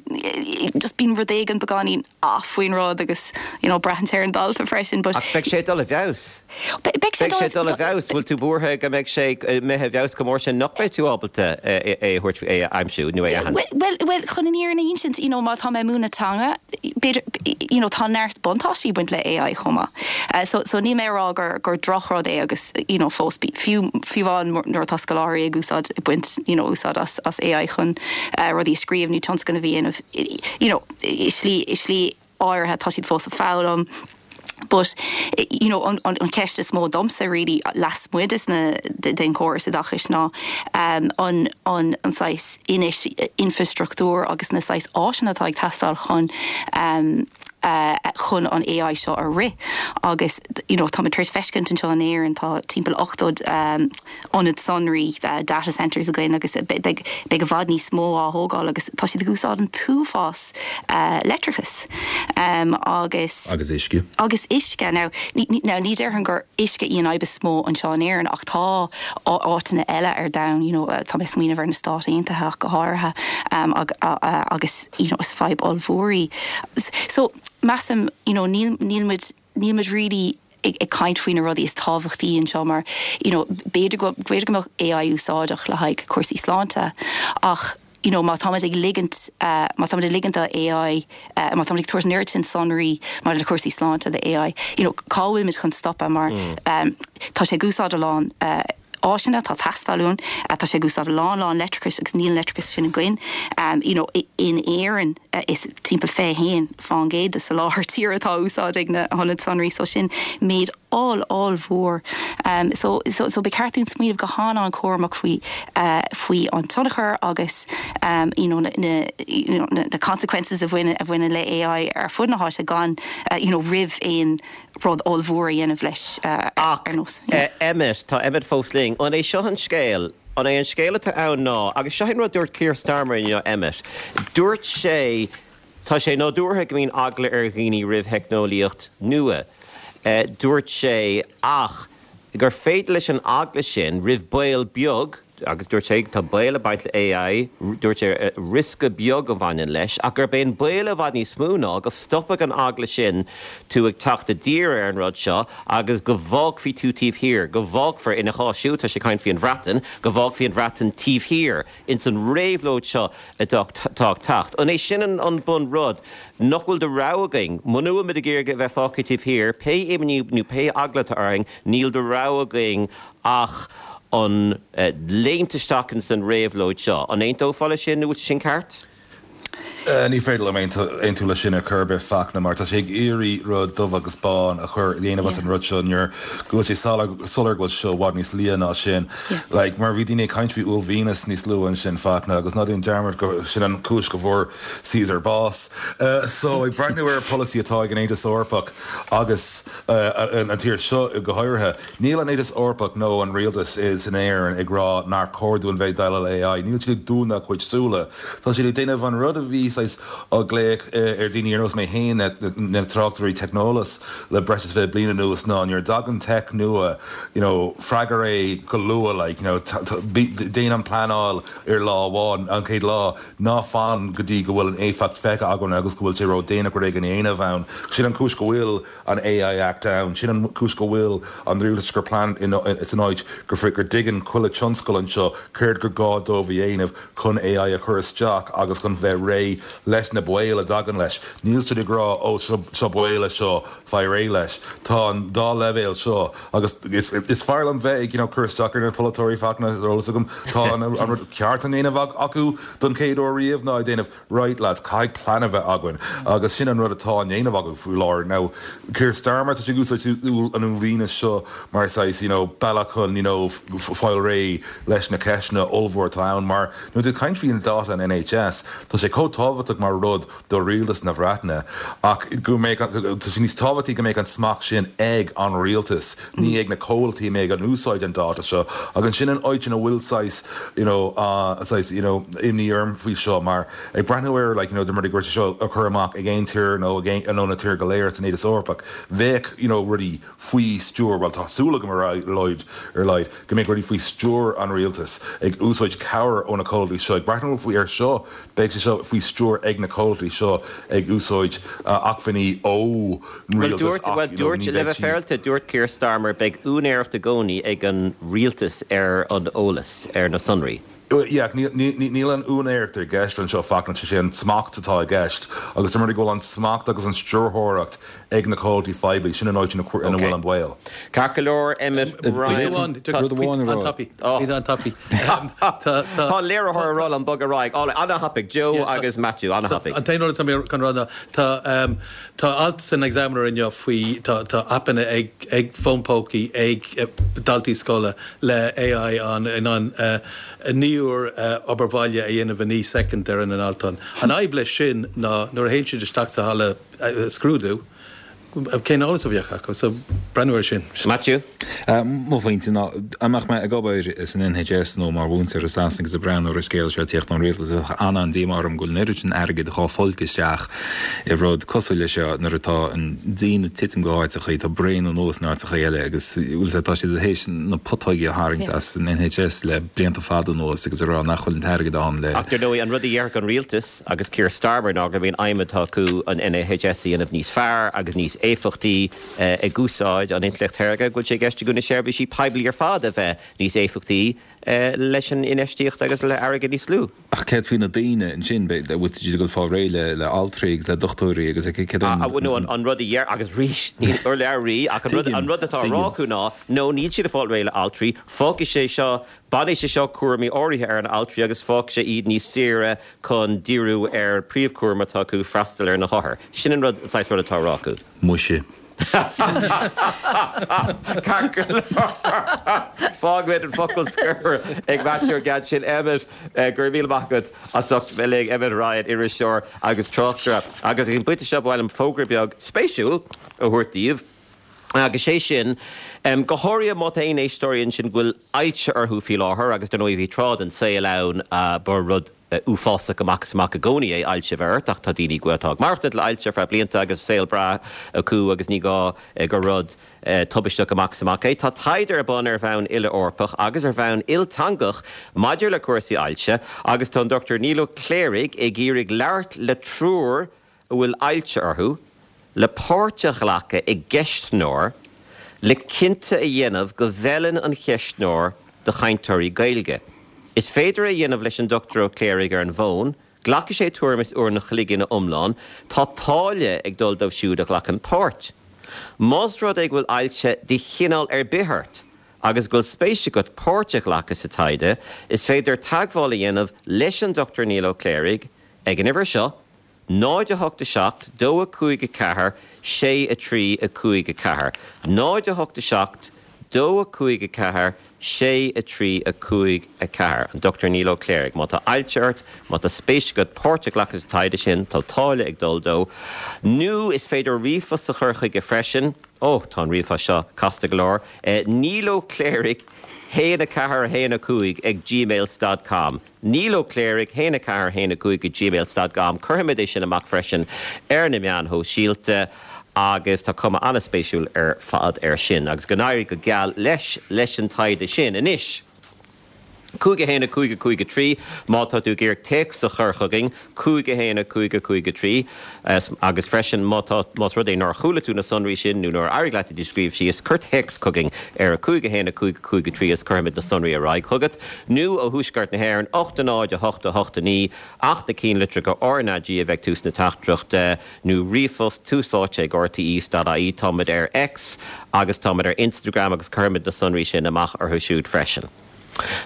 just bíonn rud éigin beagáinín off faoin rud agus you know, braitheann sé ar an dalta freisin, but Ach beidh sé dul i bhfeabhas. Beidh sé Beidh sé dul i bhfeabhas, bhfuil tú buartha go mbeidh sé imithe i bhfeabhas go mór sin nach mbeidh tú ábalta é a thabhairt é a aimsiú nó é a Well, well, well, chun an fhírinne a insint, you know, má tá mé ag múineadh teanga, b'fhéidir, you know, tá neart buntáistí baint le AI chomh maith. Uh, so, so níl mé ag rá gur, gur drochrud é agus you know, fós fiú fiú nuair atá scoláirí ag úsáid baint you know, úsáid as, as AI chun uh, rudaí scríobh nó tionscnamh a dhéanamh you know, i slí i slí áirithe tá siad fós ag foghlaim. But you know an, an, an ceist is mó domsa really lasmuigh des na den córas oideachais ná um, an an an saghas infrastruchtúr agus na saghas áiseanna atá ag teastáil chun um, uh, chun an AI seo a rith agus you know, tá tar feiscint anseo in Éirinn tá timpeall ochtó um, ionad sonraí uh, data centers againn agus beidh i bhfad níos mó á thógáil agus tá siad ag úsáid an t-uafás uh, leictreachas um, agus agus uisce. agus uisce now ní, now ní déarfainn gur uisce í an fhadhb is mó anseo in Éirinn ach tá áiteanna eile ar domhan you know, tá mé ag smaoineamh ar na Stáit Aontaithe go háirithe um, ag, agus you know, is fadhb ollmhór í. So measaim you know, níl níl muid níl muid really ag, ag caint faoi na rudaí is tábhachtaí anseo mar you know, b'fhéidir go b'fhéidir go mbeadh AI úsáideach le haghaidh cúrsaí sláinte ach you know, má táimid ag ligint uh, má táimid ag ligint do AI uh, má táimid ag tabhairt an oiread sin sonraí mar le cúrsaí sláinte do AI you know, cá bhfuil muid chun stopadh mar mm. um, tá sé ag úsáid a lán uh, áiseanna tá teastáil tá sé ag úsáid lán lán leictreachais agus níl leictreachas sin againn um, you know, in Éirinn uh, is timpeall fiche haon faoin gcéad de soláthar tíre atá úsáid ag na hionaid sonraí so sin méid all ollmhór um, so, so, so ba cheart dúinn smaoineamh go han-an-chúramach faoi uh, faoi an tionchar agus um, you know, na, na, you know, na, na consequences a bhaineann a bhaineann le AI ar fud na háite gan uh, you know, roimh aon rud ollmhór a dhéanamh leis uh, ar nós. Yeah. Uh, Emmet tá Emmet fós linn an é seo an scéal an é an scéal atá ann ná agus seo an rud dúirt Keir Starmer inniu Emmet. Dúirt sé Tá sé nádúrtha go mbíonn eagla ar dhaoine roimh theicneolaíocht nua. Uh, dúirt sé ach gur féidir leis an eagla sin roimh baol beag agus dúirt sé tá baol ag baint le AI dúirt sé uh, riosca beag a bhaineann leis ach gur b'é an baol i bhfad níos mó ná go stopfadh an eagla sin tú ag teacht i dtír ar an rud seo agus go bhfágfaí tú taobh thiar, go bhfágfar ina chás siúd tá sé ag caint faoin Bhreatain, go bhfágfaí an Bhreatain taobh thiar ins an réabhlóid seo atá ag teacht. An é sin an an bunrud nach bhfuil de rogha againn, muna bhfuil muid ag iarraidh a bheith fágtha taobh thiar, pé imní nó pé eagla atá orainn, níl de rogha againn ach an uh, léimt isteach san réabhlóid seo. An aontófá leis sin nó sin ceart? Uh, ní féidir liom aontú leis sin ar chor ar bith Fachtna mar tá sé ag iarraidh rud dubh agus bán a chur dhéanamh as an rud seo nuair go bhfuil sé soiléir go bhfuil seo i bhfad níos liath ná sin. Like, mar bhí daoine ag caint faoi uaillmhianas níos luaithe ansin Fachtna agus ná déan dearmad go sin an chúis go bhfuair Caesar bás. Uh, so ag breathnú ar polasaí atá ag an Aontas Eorpach agus uh, an tír seo go háirithe. Níl an Aontas Eorpach nó an rialtas is in Éirinn ag rá nár chóir dúinn bheith ag déileáil le AI. Níl siad ag dúnadh a gcuid súile. Tá siad ag déanamh an rud a bhí á ghlaoch ar daoine ar nós mé féin na tráchtairí teicneolais le breis is fiche bliain anuas ná nuair a thagann tech nua you know, freagair é go luath like, you know, déan an pleanáil ar lá amháin an chéad lá ná fan go dtí go bhfuil an éifeacht feicthe againn agus go bhfuil sé ródhéanach rud éigin a dhéanamh ann. Sin an chúis go bhfuil an AI Act ann, sin an chúis go bhfuil an rialtas gur plan is an áit gur fri gur dtuigeann chuile tionscal anseo céard gur gá dóibh a dhéanamh chun AI a chur isteach agus chun bheith réidh leis na baoil a dtagann leis. Níl siad ag rá ó seo baol seo faigh réidh leis. Tá an dá leibhéal seo agus is, is fearr liom bheith ag you know, cur isteach ar na polaiteoirí Fachtna eolas agam tá an rud ceart á dhéanamh acu don chéad uair riamh ná déanamh right lads caithfidh plean a bheith againn agus sin an rud atá á dhéanamh acu faoi láthair now Keir Starmer tá úsáid an uaillmhianas seo mar saghas you know, bealach chun you know, fáil réidh leis na ceisteanna ollmhór atá ann mar nuair tú ag caint faoi an data an NHS Tá sé chomh tábhachtach mar rud do rialtas na Breataine ach go mbeadh tá sé níos tábhachtaí go mbeadh an smacht sin ag an rialtas ní ag na comhlachtaí a mbeidh ag úsáid an data seo agus sin an áit ina bhfuil saghas you know, uh, saghas, you know, imní orm faoi seo mar ag breathnú ar like, you know, de mar seo a chur amach ag aon tír nó ag nó na tíortha go léir san Aontas Eorpach bheadh you know, rudaí faoi stiúir well tá súil agam ar laghad ar laghad go mbeidh rudaí faoi stiúir an rialtas ag úsáid cabhair ó na comhlachtaí seo ag breathnú faoi ar seo beidh sé seo faoi stiúir ag na comhlachtaí seo ag úsáid uh, acmhainní ó rialtas dúirt dúirt le bheith féaráilte dúirt Keir Starmer beidh úinéireacht i gcónaí ag an rialtas ar an eolas ar na sonraí. Yeah, níl an úinéireacht i gceist anseo Fachtna sé an smacht atá i gceist agus mar go bhfuil an smacht agus an stiúrthóireacht ag na comhlachtaí poiblí sin an áit ina bhfuil an baol. Ceart go leor Emmet Ryan Tá léiritheoir ag rá liom bog ar aghaidh an-thapaidh Joe agus Matthew an-thapaidh. An t-aon rud atá mé chun rá ná tá alt san Examiner inniu faoi tá aipeanna ag ag fóin pócaí ag daltaí scoile le AI an in an naonúr obair bhaile a dhéanamh i naoi soicind ar an alt. An fhadhb leis sin ná nuair a théann siad isteach sa halla scrúdú, cén eolas a bheadh acu, so breathnú air sin. Matthew? Mo phointe ná dá mbeadh mé ag obair san NHS nó mar mhúinteoir i Sasana agus ag breathnú ar an scéal seo ag tíocht ón rialtas an-an-díomá orm go bhfuil an oiread sin airgid dhá folcadh isteach i rud cosúil leis seo nuair atá an díon ag titim go háiteachaí, tá braon anuas in áiteachaí eile agus bhfuil tá siad théis na putóigí a tharraingt as an NHS le blianta fada anuas agus a rá nach bhfuil an t-airgead ann le. Ach dar ndóigh an rud a dhéarfadh an rialtas agus Keir Starmer ná go mbíonn aidhm atá acu an NHS a dhéanamh níos fearr agus níos éifeachtaí ag úsáid an intleacht shaorga, go bhfuil sé i gceist acu na seirbhísí poiblí ar fad a bheith níos éifeachtaí leis an infheistíocht agus le airgead níos lú. Ach céard faoi na daoine ansin, bhfuil siad ag dul fáil réidh le le altraí agus le dochtúirí agus céard an. Nó an rud a dheir agus arís ní urlabhraí ach an rud an rud atá á rá acu ná nó níl siad ag fáil réidh le altraí, fágfaidh sé seo Bainfidh sé seo cúraimí áirithe ar an altraí agus fágfaidh sé iad níos saoire chun díriú ar príomhchúram atá acu, freastal ar na hothair. Sin an rud, an saghas rud atá á rá acu. Muise. Ceart go leor. Fágfaimid an focal scoir ag Matthew an gceann sin. Emmet, go raibh míle maith agat as ucht bheith linn. Emmet Ryan, iriseoir agus tráchtaire. Agus ag an bpointe seo ba mhaith liom fógra beag spéisiúil a thabhairt daoibh. Agus sé sin, go háirithe má tá aon éisteoirí ansin go bhfuil ailse orthu faoi láthair, agus dar ndóigh bhí tráth den saol ann ba rud uafásach amach is amach i gcónaí é ailse a bheith ort, ach tá daoine atá ag maireachtaint le ailse ar feadh blianta agus saol breá acu agus ní gá gur rud tubaisteach amach is amach é. Tá taighde ar bun ar bhonn uile-Eorpach agus ar bhonn ilteangach maidir le cúrsaí ailse agus tá an Dochtúir Niall Ó Cléirigh ag iarraidh labhairt le triúr a bhfuil ailse orthu, le páirt a ghlacadh i gceistneoir le cinnte a dhéanamh go bhfeileann an cheistneoir do chainteoirí Gaeilge. Is féidir é a dhéanamh leis an Dochtúir Ó Cléirigh ar an bhfón, glacfaidh sé tuairim is uair an chloig ina iomlán, tá táille ag dul dóibh siúd a ghlacann páirt. Más rud é go bhfuil ailse de chineál ar bith ort agus go bhfuil spéis agat páirt a ghlacadh sa taighde, is féidir teagmháil a dhéanamh leis an Dochtúir Niall Ó Cléirigh ag an uimhir seo, náid a hocht a seacht, dó a cúig a ceathair, sé a trí a cúig a ceathair. náid a hocht a seacht, dó a cúig a ceathair, sé a trí a cúig a ceathair. An Dochtúir Niall Ó Cléirigh. Má tá ailse ort, má tá spéis agat páirt a ghlacadh sa taighde sin, tá táille ag dul dó. Nó is féidir ríomhphost a chur chuige freisin. Ó, tá an ríomhphost seo casta go leor. Niall Ó Cléirigh haon a ceathair a haon a cúig ag gmail stad com. Niall Ó Cléirigh haon a ceathair a haon a cúig ag gmail stad com. Cuirfimid é sin amach freisin ar na meáin shóisialta agus tá cuma an-spéisiúil ar fad air sin. Agus go n-éirí go geal leis leis an taighde sin. Anois, cúig a haon a cúig a cúig a trí, má tá tú ag iarraidh téacs a chur chugainn, cúig a haon a cúig a cúig a trí, agus freisin má tá, más rud é nár chuala tú na sonraí sin nó nár éirigh leat iad a scríobh síos, cuir téacs chugainn ar a cúig a haon a cúig a cúig a trí is cuirfimid na sonraí ar aghaidh chugat. Nó ó Thuaisceart na hÉireann, ocht a náid a hocht a hocht a naoi, ach na cinnlitreacha RnaG a bheidh ag tús na teachtaireachta, nó ríomhphost, tús áite ag rte stad ie. Táimid ar X agus táimid ar Instagram agus cuirfimid na sonraí sin amach orthu siúd freisin.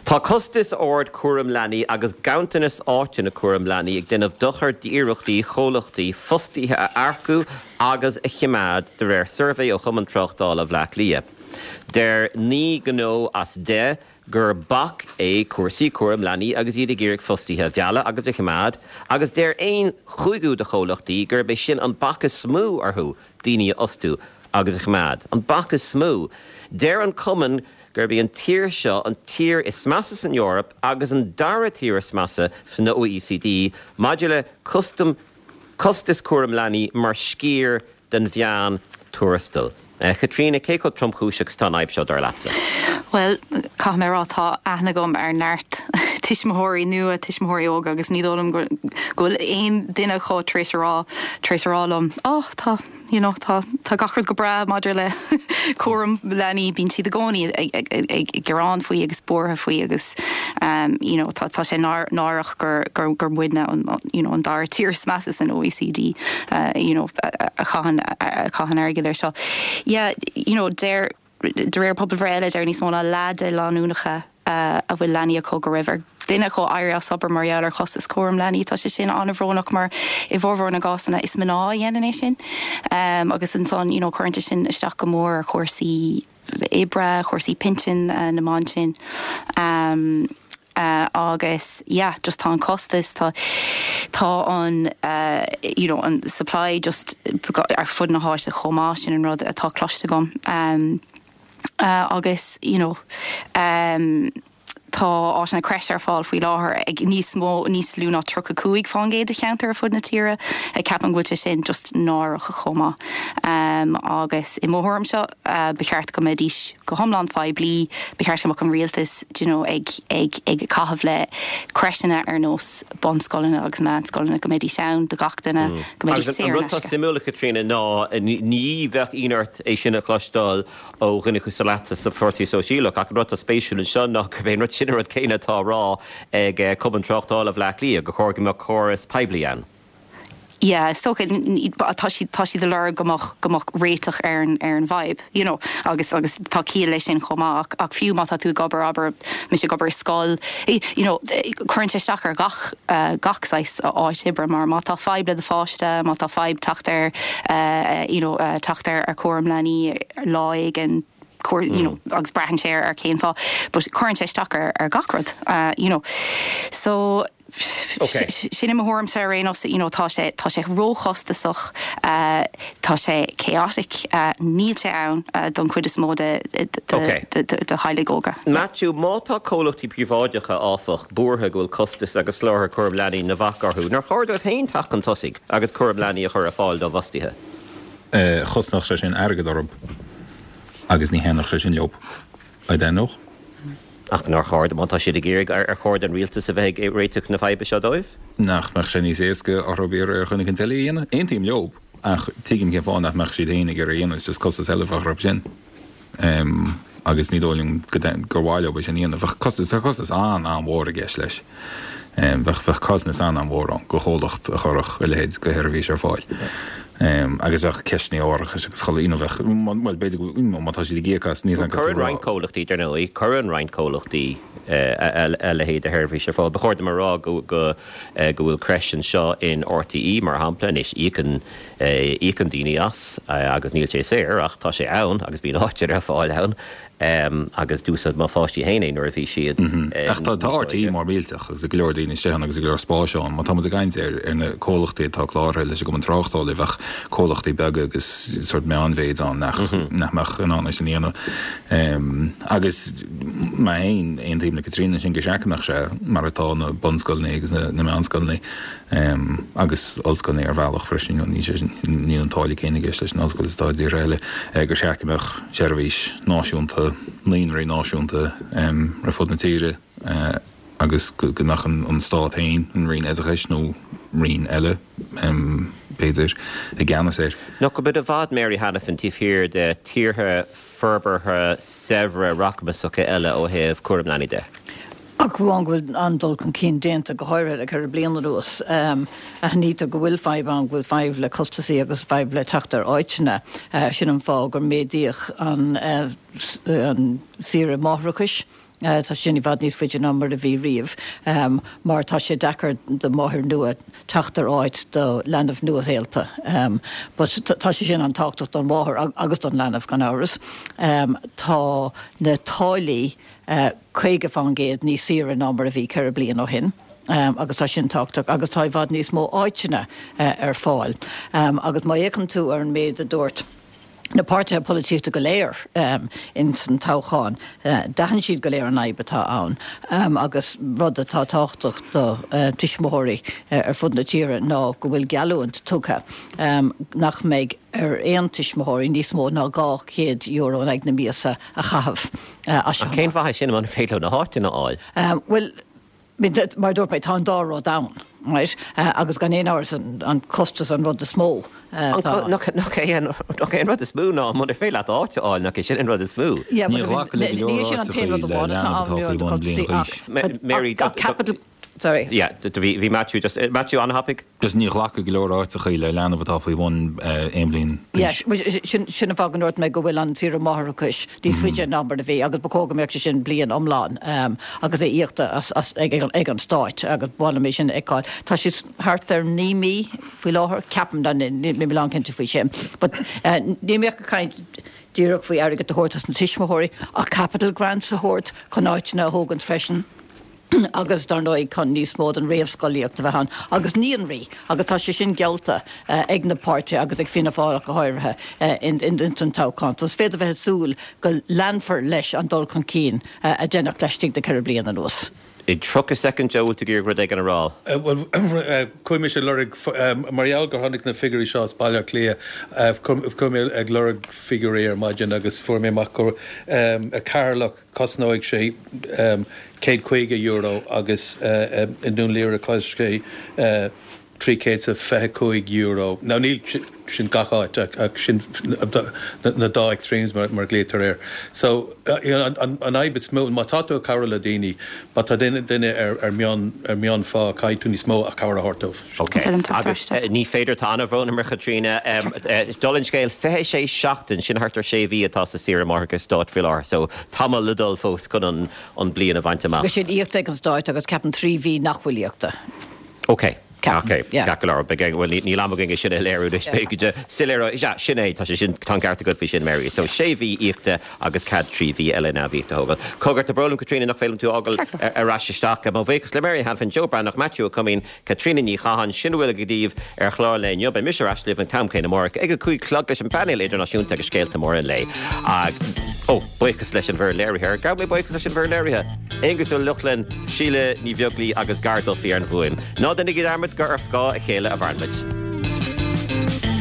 Tá costas ard cúram leanaí agus ganntanas áiteanna cúram leanaí ag déanamh dochar d'iarrachtaí chomhlachtaí fostaithe a earcú agus a choimeád, de réir suirbhé ó Chumann Tráchtála Bhaile Átha Cliath. Deir naoi ngnó as deich gur bac é cúrsaí cúram leanaí agus iad ag iarraidh fostaithe a mhealladh agus a choimeád, agus deir aon chúigiú de chomhlachtaí gurb é sin an bac is mó orthu daoine a fhostú agus a choimeád. An bac is mó. Deir an Cumann gurb í an tír seo an tír is measa san Eoraip agus an dara tír is measa san OECD maidir le custam costas cúram leanaí mar sciar den mheán tuarastal. Caitríona, cé chomh tromchúiseach is atá an fhadhb seo dar leatsa? Bhuel, caithfidh mé a rá, tá aithne agam ar neart tuismitheoirí nua, tuismitheoirí óga agus ní dóigh liom go bhfuil aon duine acu tar éis a rá, tar éis a rá liom, 'Ó, tá you know tá tá gach rud go breá maidir le cúram leanaí bíonn siad i gcónaí ag gearán faoi agus buartha faoi agus um, you know tá tá sé náireach gur gur gur muidne an you know an dara tír is measa san OECD uh, you know a chaitheann a chaitheann airgead air seo. Yeah, you know deir de réir pobalbhreith eile deir níos mó ná leath de lánúineacha uh, a bhfuil leanaí acu go raibh ar duine acu éirí as obair mar gheall ar chostas cúram leanaí tá sé sin an-bhrónach mar i bhformhór na gcásanna is mná a dhéanann é sin um, agus ansan you know, cuireann sin isteach go mór ar chúrsaí oibre, chúrsaí pinsin uh, na mban sin. Um, Uh, agus yeah, just tá an costas tá tá an uh, you know, an supply just ar fud na háite chomh maith sin an rud atá cloiste agam. Um, uh, agus you know, um, tá áiteanna creche ar fáil faoi láthair ag níos mó níos lú ná tríocha cúig faoin gcéad de cheantair ar fud na tíre ag ceapaim go bhfuil sin just náireach chomh maith. Um, agus i mo thuairimse uh, ba cheart go mbeidís go hiomlán poiblí, ba cheart go mbeadh an rialtas you know, ag, ag, ag caitheamh le crècheanna ar nós bunscoileanna agus meánscoileanna go mbeidís ann do gach duine mm. go mbeidís An rud atá suimiúil Caitríona ná ní bheadh ionadh ort é sin a chloisteáil ó dhuine cosúil leatsa sa Pháirtí Sóisialach ach an rud atá spéisiúil anseo ná gurb é an rud sin an rud céanna atá á rá ag eh, Cumann Tráchtála Bhaile Átha Cliath gur chóir go mbeadh córas poiblí ann. Yeah, so tá siad tá siad ag lorg go mbeadh go mbeadh réiteach ar an ar an bhfadhb, you know, agus agus tá ciall leis sin chomh maith ach, ach fiú má tá tú ag obair abair mise ag obair scoil, you know, cuireann sé isteach ar gach uh, gach saghas áit oibre mar má tá fadhb le do pháiste, má tá fadhb teacht ar uh, you know, uh, teacht ar ar cúram leanaí lá éigin you know, agus braitheann sé ar cén fáth, but cuireann sé isteach ar, ar gach rud, uh, you know. So Okay. sin i mo thuairimse ar aon nós you know, tá sé tá sé róchostasach uh, tá sé chaotic uh, níl sé ann uh, don chuid is mó de, de, de, Okay. de, de, de theaghlaigh óga. Matthew má tá comhlachtaí príobháideacha áfach buartha go bhfuil costas agus soláthar cúram leanaí ina bhac orthu, Nár chóir dóibh féin teacht chun tosaigh agus cúram leanaí a chur ar fáil dá bhfostaithe. Chosnódh sé sin airgead orthu agus ní thaitneodh sé sin leo. I don't know. Ach nár chóir má tá siad ag iarraidh ar ar chóir don rialtas a bheith ag réiteach na faidhbe seo dóibh? Nach mbeadh sé níos éasca orthu iarraidh ar dhuine éicint eile a dhéanamh. Aontaím leo ach tuigim cén fáth nach mbeadh siad féin ag iarraidh a dhéanamh, just costas eile a bheadh orthu sin. Um, agus ní dóigh liom go gur mhaith leo sin a dhéanamh. Bheadh costas tá costas an an-mhór i gceist leis. Um, bheadh bheadh caillteanas an an-mhór ann do chomhlacht a chuirfeadh a leithéid de sheirbhís ar fáil. Um, agus bheadh ceisteanna árachais agus chuile ina bheadh well b'fhéidir go má tá siad ag íoc as níos an Cuireann roinnt comhlachtaí dar ndóigh, cuireann roinnt comhlachtaí a leithéid de sheirbhís ar fáil. Ba chóir dom a rá go go go bhfuil crèche anseo in RTE mar shampla anois íocann íocann daoine as agus níl sé saor ach tá sé ann agus bíonn áit ar fáil ann. Um, agus d'úsáid mo pháistí féin é nuair a bhí siad. Ach tá tá RTE mar millteach agus go leor daoine sé agus go leor spáis ann, má tá muid ag caint ar ar na comhlachtaí atá cláraithe leis an gCumann Tráchtála bheadh comhlachtaí beaga agus sort meánmhéid ann nach nach mbeadh in ann sin a dhéanamh. Um, agus má aon aontaím le Caitríona sin go seachmach sé mar atá na bunscoileanna agus na, na meánscoileanna um, agus ollscoileanna ar bhealach freisin ní níl an táille céanna i gceist leis an ollscoil is atá i dtíortha eile gur seachmach seirbhís náisiúnta naíonraí náisiúnta um, ar fud na tíre uh, agus go go mbeadh an, an stát féin an Roinn Oideachais nó roinn eile um, b'fhéidir i gceannas air. Nach bhfuil muid i bhfad Mary Hanafin taobh thiar de tíortha forbartha saibhre rachmasacha eile ó thaobh cúram leanaí de. Ach amháin go bhfuil an-dul chun cinn déanta go háirithe le ceithre bliana anuas. Um, Aithnítear go bhfuil fadhb ann go bhfuil fadhb le costasaí agus fadhb le teacht ar áiteanna. Uh, sin an fáth gur méadaíodh an, uh, an saoire máithreachais. Uh, tá sin i bhfad níos faide ná mar a bhí riamh, um, mar tá sé deacair do mháthair nua teacht ar áit do leanbh nua-shaolta. Um, but tá sé sin an-tábhachtach don mháthair agus don leanbh gan amhras. Um, tá na táillí uh, caoga faoin gcéad níos saoire ná mar a bhí ceithre bliana ó shin. Um, agus tá sin tábhachtach agus tá i bhfad níos mó áiteanna uh, ar fáil. Um, agus má fhéachann tú ar an méid a dúirt na páirtithe polaitíochta go léir um, in san toghchán. Uh, D'aithin siad go léir an fhadhb atá ann um, agus rud atá tábhachtach do uh, tuismitheoirí uh, ar fud na tíre ná go bhfuil geallúint tugtha um, nach mbeidh ar aon tuismitheoirí níos mó ná dhá chéad euro in aghaidh na míosa a chaitheamh. Uh, Cén mhaith sin an féidir na háiteanna a fháil? Um, well, Mar dúirt mé, tá an dá rud ann, right? Agus gan aon amhras an costas an rud is mó. Nach é an rud is mó ná muna féidir leat áit a fháil, nach é sin an rud is mó? Ní ghlacadh le go Ní leor sin an áiteachaí t-aon rud le amháin atá leanbh ann atá nuair faoi an bhun bliain costas d'aois. ach Mary, ach capital Sorry. Yeah, bhí bhí Matthew just Matthew an-thapaidh? Just ní ghlacadh go leor áiteachaí le leanbh atá faoi bhun aon bhliain Yes, d'aois. sin sin an fáth go ndúirt mé go bhfuil an tsaoire máithreachais níos faide ná mar a bhí agus ba chóir go mbeadh sé sin bliain iomlán agus é íoctha as as ag ag an stáit agus ba mhaith liom é sin a fheiceáil. Tá sé thart ar naoi mí faoi láthair, ceapaim, níl mé lánchinnte faoi sin. But níl mé ach ag caint díreach faoi airgead a thabhairt dos na tuismitheoirí ach capital grants a thabhairt chun áiteanna a thógaint freisin. agus dar ndóigh chun níos mó den réamhscolaíocht a bheith ann agus naíonraí agus tá sé sin geallta ag na páirtithe agus ag Fianna Fáil ach go háirithe in san toghchán. So is féidir bheith ag súil go leanfar leis an dul chun cinn a deineadh laistigh de ceithre bliana anuas. I dtríocha soicind, Joe, bhfuil tú ag iarraidh rud éigin a rá? Bhuel, chuaigh mise ag lorg, mar gheall gur tháinig na figiúirí seo as Baile Átha Cliath, chuaigh mé ag lorg figiúirí ar maidin agus fuair mé amach gur i gCeatharlach cosnóidh sé céad caoga euro agus i nDún Laoghaire cosnóidh sé trí chéad is a fiche cúig euro. Now níl sin gach áit ach sin na dá extremes mar a ghlaoitear air. So an fhadhb is mó, má tá tú ag cabhrú le daoine, má tá duine ar mion ar mionphá caithfidh tú níos mó a cabhair a thabhairt dóibh. Ok. Agus ní féidir, tá an-bhrón orm a Chaitríona, dála an scéil, fiche sé seachtain, sin thart ar sé mhí atá sa saoire máithreachais stáit faoi láthair, so tamall le dul fós chun an an bliain a bhaint amach. Agus sin íoctha ag an stáit agus ceapaim trí mhí nach bhfuil íoctha. Ok. Ok, ceart go leor, beidh, bhuel níl am againn é sin a léiriú anois, beidh go soiléir, sea, sin é, tá sé sin, tá an ceart agat faoi sin, Mary. So sé mhí íoctha agus cead trí mhí eile neamhíoctha a thógáil. Cogar, tá brón orm, Caitríona, nach bhféadfaidh tú a fhágáil ar ais isteach. Mo bhuíochas le Mary Hanafin, Joe Breathnach, Matthew Ó Coimín, Caitríona Ní Chatháin, sin a bhfuil againn daoibh ar chlár an lae inniu. Beidh mise ar ais libh an t-am céanna amárach ag a cúig a chlog leis an bpainéal idirnáisiúnta agus scéalta móra an lae. Ó, buíochas leis an bhfoireann léirithe. Ar ghabh mé buíochas leis an bhfoireann léirithe? Aonghus Ó Lochlainn, Síle Ní Bheaglaoi agus Gar Duffy ar an bhfuaim. Ná déanaigí dearmad gur ar scáth a chéile a mhaireann muid.